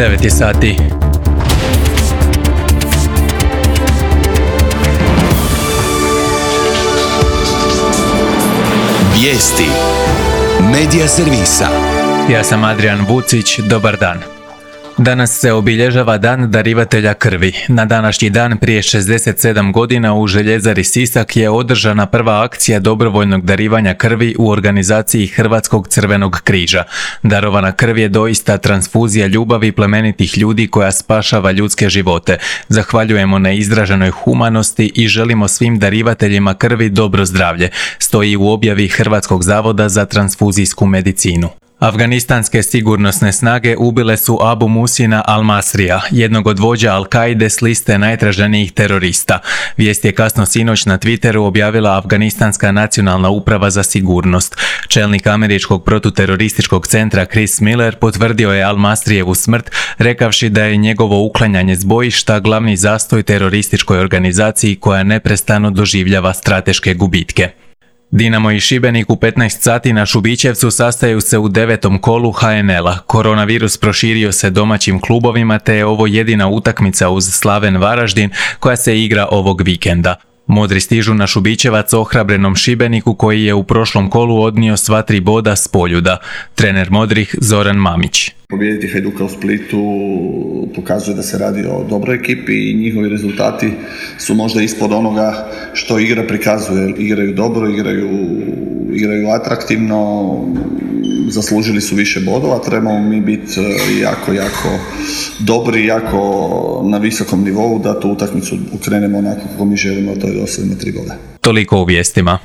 9 je sati. Vijesti Medija servisa. Ja sam Adrian Vucić, dobar dan. Danas se obilježava Dan darivatelja krvi. Na današnji dan prije 67 godina u Željezari Sisak je održana prva akcija dobrovoljnog darivanja krvi u organizaciji Hrvatskog crvenog križa. Darovana krv je doista transfuzija ljubavi plemenitih ljudi koja spašava ljudske živote. Zahvaljujemo na izraženoj humanosti i želimo svim darivateljima krvi dobro zdravlje, stoji u objavi Hrvatskog zavoda za transfuzijsku medicinu. Afganistanske sigurnosne snage ubile su Abu Musina al-Masrija, jednog od vođa Al-Kaide s liste najtraženijih terorista. Vijest je kasno sinoć na Twitteru objavila Afganistanska nacionalna uprava za sigurnost. Čelnik američkog protuterorističkog centra Chris Miller potvrdio je al-Masrijevu smrt, rekavši da je njegovo uklanjanje s bojišta glavni zastoj terorističkoj organizaciji koja neprestano doživljava strateške gubitke. Dinamo i Šibenik u 15 sati na Šubićevcu sastaju se u 9. kolu HNL-a. Koronavirus proširio se domaćim klubovima te je ovo jedina utakmica uz Slaven Varaždin koja se igra ovog vikenda. Modri stižu na Šubićevac ohrabrenom Šibeniku koji je u prošlom kolu odnio sva 3 boda s Poljuda. Trener Modrih Zoran Mamić. Pobijediti Hajduka u Splitu pokazuje da se radi o dobroj ekipi i njihovi rezultati su možda ispod onoga što igra prikazuje. Igraju dobro, igraju atraktivno, zaslužili su više bodova, trebamo mi biti jako dobri, jako na visokom nivou da tu utakmicu ukrenemo onako kako mi želimo, to je da osvojimo 3 boda. Toliko u vijestima.